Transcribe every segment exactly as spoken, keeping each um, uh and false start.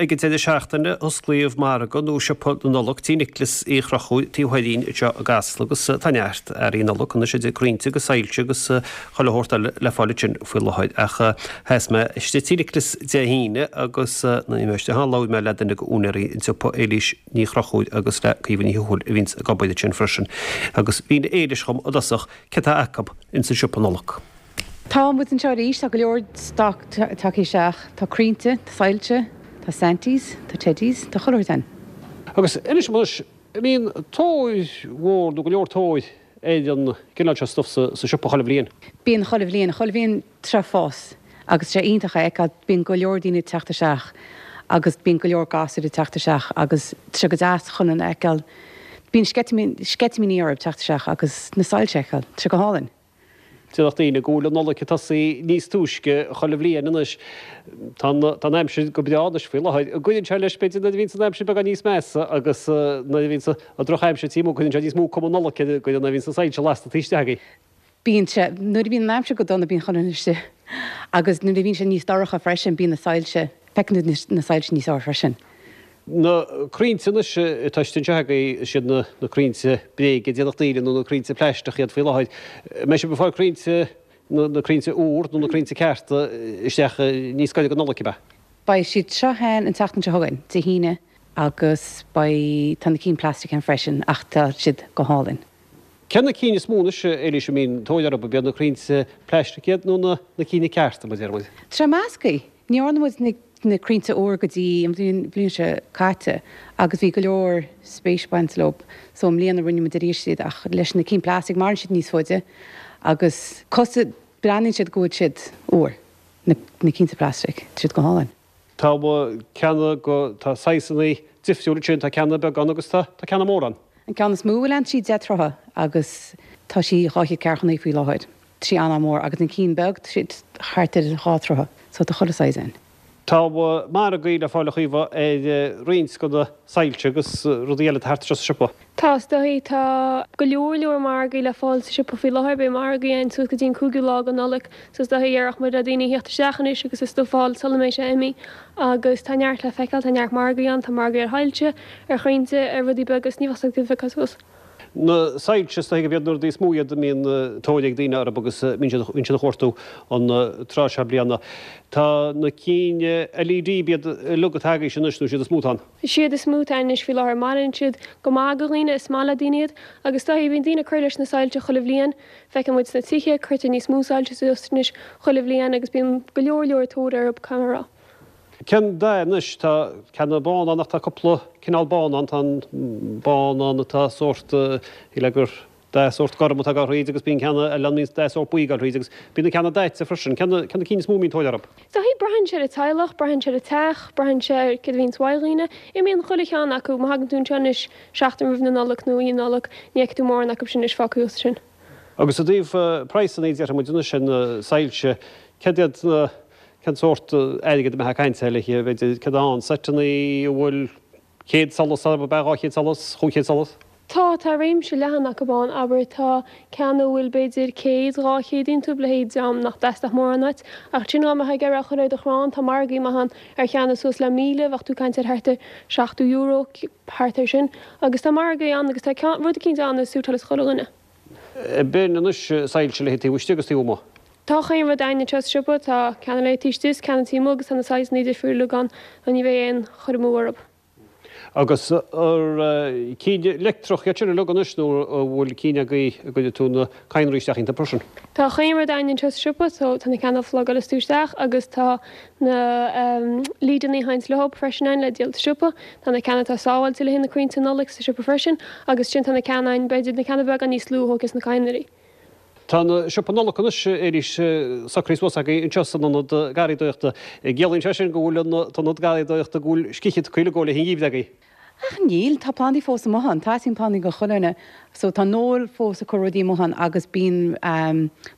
Ag an deireadh seachtaine osclaíodh margadh nó siopa na Nollag tí Nicholas Uí Chonchúir taobh thoir dhínn anseo i gCasla agus tá neart earraí Nollag anois idir crainnte agus soilse agus chuile shórt eile le fáil ansin faoi láthair. Ach sheas mé istigh tí Nicholas Dé hAoine agus nuair a bhí mé istigh ann labhair mé le duine de úinéirí an tsiopa, Éilís Ní Chonchúir agus le Caoimhe Ní Thuathail a bhíonns ag obair ansin freisin. Agus mhínigh Éilís dhom i dtosach céard atá acu ins an siopa Nollag. Tá muid anseo arís, tá go leor stoc tagtha isteach, tá crainnte, tá soilse, tá Santies, tá Teddies, tá chuile shórt ann. Agus inis dom anois, an mbíonn tóir mhór nó go leor tóir ar an gcineál seo stuif sa siopa chuile bhliain? Bíonn chuile bhliain, chuile bhliain tá sé ag fás agus tá sé iontach a fheiceáil, bíonn go leor daoine ag teacht isteach agus bíonn go leor gasúir ag teacht isteach agus tá sé go deas chun a fheiceáil, bíonn sceitimíní orthu teacht isteach agus na soilse a fheiceáil, tá sé go hálainn. Déarfadh daoine go bhfuil an Nollaig ag tosaí níos túisce chuile bhliain anois. Tá an aimsir go breá anois faoi láthair. An gcuireann sé leis, b'fhéidir, nuair a bhíonns an aimsir beagán níos measa agus nuair a bhíonns an drochaimsir taobh amuigh, cuireann sé níos mó cuma Nollag air, go nuair a bhíonns na soilse lasta taobh istigh agaibh. Bíonn sé. Nuair a bhíonn an aimsir go dona bíonn chuile dhuine istigh agus nuair a bhíonn sé níos dorcha freisin bíonn na soilse, feiceann tú na soilse níos fearr freisin. Na crainnte anois atá istigh anseo agaibh, is iad na crainnte bréige, déarfadh daoine, nó na crainnte plaisteach iad faoi láthair. An mbeidh sibh ag fáil crainnte, na crainnte úr nó na crainnte cearta isteach níos gaire don Nollaig, ab ea? Beidh siad seo ann an tseachtain seo chugainn, Dé hAoine, agus beidh, tá na cinn plastic ann freisin ach tá siad go hálainn. Cé na cinn is mó anois, Éilís, a mbíonn tóir orthu, ab iad na crainnte plaisteach iad nó na cinn cearta, mar a deir muid? Tá sé measctha. Ní dhearna muid na na crainnte úr go dtí an bhliain bhliain seo caite agus bhí go leor spéis baint leo so i mbliana rinne muid arís iad ach leis na cinn plastic maireann siad níos faide agus cosúil breathnaíonn siad go bhfuil siad úr na na cinnte plastic, tá siad go hálainn. Tá ceanna go tá saghsanna difriúla ansin, tá ceanna beag ann agus tá tá ceanna mór ann. An ceann is mó a bhfuil ann sí deich troithe agus tá sí dhá chéad ceathracha naoi faoi láthair. Tá sí an-mhór agus an cinn beag tá siad thart ar dhá troithe so tá chuile size ann. Tá margaí le fáil a Chaoimhe ar roinnt de na soilse agus rudaí eile atá thart anseo sa siopa. Tá, is dóigh. Tá go leor leor margaí le fáil sa siopa faoi láthair. Beidh margaí ann suas go dtí an cúigiú lá de Nollaig so is dóigh déarfadh muid le daoine a theacht isteach anois agus a stuif a fháil sula mbeidh sé imithe agus tá neart le feiceáil, tá neart margaí ann, tá margaí ar shoilse, ar chrainnte, ar rudaí beaga is ní bheadh a fhios agat cad suas. Na soilse, is dóigh gurb iad na rudaí is mó iad a mbíonn tóir ag daoine orthu agus bíonn siad bíonn siad a chuartú an tráth seo bliana. Tá na cinn LED, b'iad uilig atá agaibhse anois nó is iad is mó atá ann? Is iad is mó atá ann anois faoi láthair. Maireann siad go maith do dhaoine, is maith le daoine iad agus is dóigh bíonn daoine ag cur leis na soilse chuile bhliain. Feiceann muid sna tithe, cuirtear níos mó soilse suas anois chuile bhliain agus bíonn go leor leor tóir orthu, caithfidh mé a rá. Cén dath anois? Tá ceanna bán ann ach tá cúpla cineál bán ann. Tá an bán ann atá sórt, shílfeá gur dath sórt gorm atá ag dul thríd agus bíonn ceanna eile ann a mbíonn dath sórt buí ag dul thríd agus bíonn na ceanna daite freisin. Cé na cinn is mó a mbíonn tóir orthu? Is dóigh, braitheann sé ar an teaghlach, braitheann sé ar an teach, braitheann sé ar céard a bhíonns uaidh dhaoine. Imíonn chuile cheann acu. Má thagann tú anseo anois seachtain roimh na Nollag nó Oíche Nollag, ní fheicfidh tú mórán acu sin anois fágtha thuas ansin. Agus i dtaobh praghsanna, déarfaidh muid anois ar na soilse, céard iad na Cén sórt airgid a mbeifeá ag caint air le b'fhéidir céard atá ann, seiteanna a bhfuil céad solas orthu, ab ea dhá chéad solas, chúig chéad solas? Tá, tá réimse leathan acu ann, abair tá ceann a bhfuil b'fhéidir céad, dhá chéad iontu, leithéid am nach dteastódh mórán uait, ach ansin dá mbeifeá ag iarraidh a chur ar do chrann, tá margaí maith ann ar cheanna suas le míle, bheadh tú ag caint ar thart ar seachtó euro, thart ar sin, agus tá margaí ann agus tá ceann, rud eicínt ann a suiteálas chuile dhuine. Bíonn anois soilse le taobh istigh agus taobh amuigh. Tá chaon rud againn anseo sa siopa, tá ceanna le taobh istigh is ceanna taobh amuigh agus tá na saghsanna difriúla uilig ann, ní bheidh aon chur amú orthu. Agus ar cinn leictreach iad sin uilig anois nó an bhfuil cinn agaibh a gcuirfidh tú na cadhnraí isteach iontu freisin? Tá chaon rud againn anseo sa siopa, so tá na ceanna a phlugálas tú isteach agus tá na leadanna a théanns leo freisin ann le díol sa siopa. Tá na ceanna atá sábháilte le haghaidh na crainnte Nollag sa siopa freisin agus ansin tá na ceanna ann, b'fhéidir na ceanna beaga níos lú a thógfas na cadhnraí. Tá an siopa Nollag anois arís socraithe suas agaibh anseo san ionad garraíodóireachta. Ciallaíonn sé sin go bhfuil an t-ionad garraíodóireachta go bhfuil scíth tugtha uilig le haghaidh an gheimhridh agaibh. Ach níl, tá plandaí fós amuigh ann, teastaíonn plandaí go chuile dhuine so tá Noel fós ag cur rudaí amuigh ann agus bíonn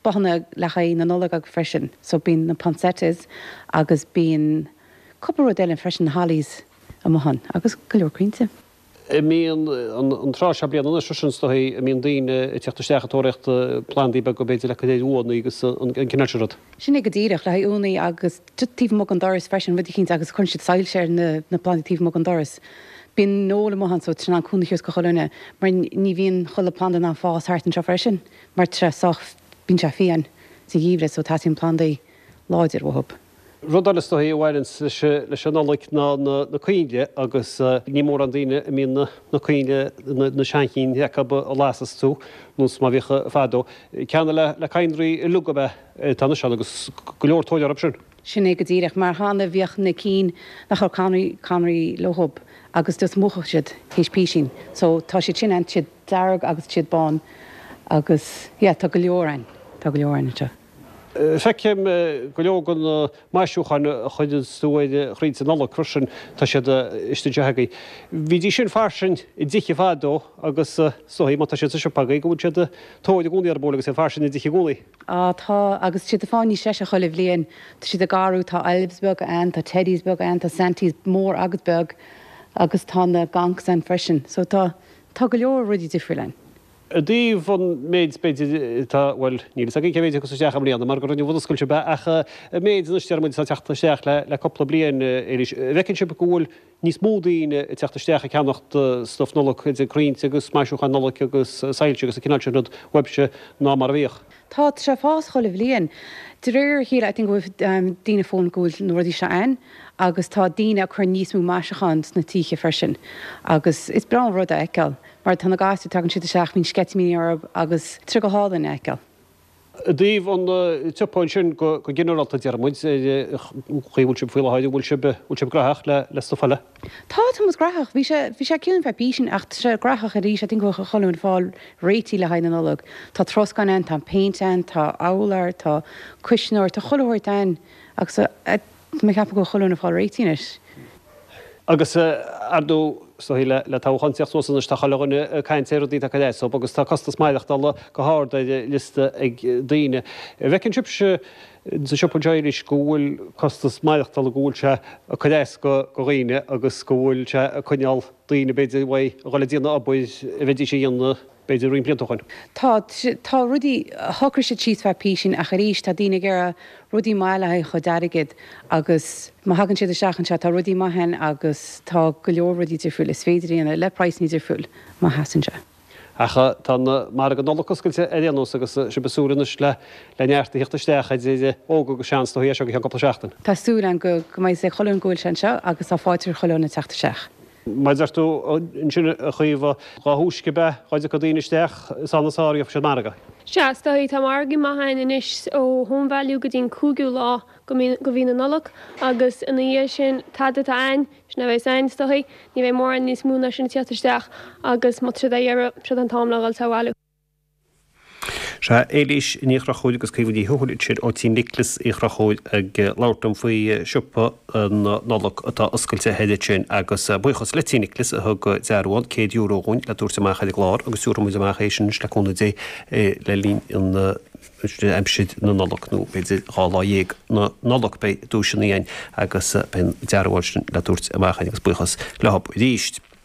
bothanna le haghaidh na Nollag acu freisin so bíonn na poinsettias agus bíonn cúpla rud eile freisin, na hollies amuigh ann agus go leor crainnte. An mbíonn an tráth seo bliana anois sin is dóigh a mbíonn daoine ag teacht isteach ag tóraíocht plandaí beaga b'fhéidir le cur ar uaigheanna agus an cineál sin rud. Sin é go díreach, le haghaidh uaigheanna agus taobh amuigh den doras freisin, rud eicínt agus cuireann siad soilse ar na plandaí taobh amuigh den doras. Bíonn an-eol amuigh ann so tá sé in ann cúnamh a thabhairt do chuile dhuine mar ní bhíonn chuile planda in ann fás thart anseo freisin mar tá sé sách, bíonn sé fiáin sa gheimhreadh so teastaíonn plandaí láidir uathu. Rud eile is dóigh a bhaineanns leis an Nollaig ná na coinnle agus ní mórán daoine a mbíonn na coinnle, na seanchinn acu a lasas tú, nós mar a bhíodh fadó. Ceanna le cadhnraí uilig ab ea atá anois ann agus go leor tóir orthu sin. Sin é go díreach, mar cheana bhíodh na cinn nach raibh cadhnraí, cadhnraí leothub agus just mhúchfadh siad théis písín. So tá siad sin ann, tá siad dearg agus tá siad bán agus yeah tá go leor ann, tá go leor ann anseo. Feicim go leor de na maisiúcháin a chuireanns tú ar chrainnte Nollag freisin, tá siad istigh anseo agaibh. Bhídís sin fairsing i dtithe fadó agus is dóigh má tá siad sa siopa agaibh go bhfuil siad tóir i gcónaí orthu agus iad fairsing i dtithe i gcónaí. Á tá, agus tá siad ag fáil níos deise chuile bhliain. Tá siad ag athrú, tá elves beaga ann, tá teddies beaga ann, tá Santies mór agus beag agus tá na gonks ann freisin. So tá, tá go leor rudaí difriúil ann. I dtaobh an méid, b'fhéidir, atá, bhuel, níl fhios againn cé mhéid a thiocfas isteach i mbliana mar gur inniu an oscailt ab ea, ach an méid anois, deir muid, atá ag teacht isteach le le cúpla bliain, Éilís, an bhfeiceann sibh go bhfuil níos mó daoine ag teacht isteach ag ceannacht stuif Nollag, idir crainnte agus maisiúcháin Nollag agus soilse agus an cineál sin rud uaibhse ná mar a bhíodh? Tá, tá sé ag fás chuile bhliain. De réir a chéile, I think go bhfuil daoine ag foghlaim go bhfuil na rudaí seo ann agus tá daoine ag cur níos mó maisiúcháin sna tithe freisin agus is breá an rud a fheiceáil mar tá na gasúir, tagann siad isteach, bíonn sceitimíní orthu agus tá sé go hálainn a fheiceáil. I dtaobh an tsiopa ansin go ginearálta, deir muid, ar an chaoi a bhfuil sibh faoi láthair, an bhfuil sibh, bhfuil sibh graitheach le, le stuif eile? Tá, tá muid graitheach. Bhí sé, bhí sé ciúin feadh písín ach tá sé graitheach arís. I think go bhfuil chuile dhuine ag fáil réitithe le haghaidh na Nollag. Tá troscán ann, tá péint ann, tá urlár, tá cuisneoir, tá chuile shórt ann agus tá mé ag ceapadh go bhfuil chuile dhuine ag fáil réitithe anois. Agus ar ndóigh, is dóigh le le toghchán ag teacht suas anois tá chuile dhuine ag caint ar rudaí atá ag cur as dóibh agus tá costas maireachtála go hard ar an liosta ag daoine. An bhfeiceann sibhse sa siopa anseo arís go bhfuil costas maireachtála, go bhfuil sé ag cur as do dhaoine agus go bhfuil sé ag coinneáil daoine b'fhéidir uaidh a dhul ag déanamh obair a bheidís a dhéanamh b'fhéidir roinnt blianta ó shin. Tá, tá rudaí, shocraigh siad síos feadh písín ach arís tá daoine ag iarraidh rudaí maith le haghaidh a chuid airgid agus má thagann siad isteach anseo tá rudaí maith ann agus tá go leor rudaí difriúil is féidir a dhéanamh le praghsanna difriúil má theastaíonn sé. Ach tá an margadh Nollag oscailte ar aon nós agus sibh ag súil anois le le neart a theacht isteach idir óg agus sean is dóigh as seo go ceann cúpla seachtain. Tá súil againn go go mbeidh sé chuile dhuine go bhfuil sé anseo agus tá fáilte roimh chuile dhuine teacht isteach. Mar a deir tú ansin a Chaoimhe, dá thúisce ab ea dá dtiocfadh daoine isteach, is ann is fearr a gheobhaidh siad margadh. Sea, is dóigh, tá margaí maith ann anois ó Home Value go dtí an cúigiú lá go de mhí na Nollag agus ina dhiaidh sin, tada atá ann, sin a bheas ann, is dóigh. Ní bheidh mórán níos mó ná sin ag tíocht isteach agus má tá siad á iarraidh, siod an t-am le dhul sa bhailiú. Sea, Éilís Ní Chonchúir agus Caoimhe Ní Thuathail ansin ó Tí Nioclás Uí Chonchúir ag labhairt liom faoi siopa na Nollag atá oscailte thoir ansin agus buíochas le Tí Nioclás a thug dearbhán céad euro dhúinn le tabhairt amach ar an gclár agus tabharfaidh muid amach é sin anois le cúnamh Dé le linn an aimsir na Nollag nó b'fhéidir dhá lá dhéag na Nollag beidh duaiseanna againn agus beidh an dearbhán sin le tabhairt amach againn agus buíochas leo arís.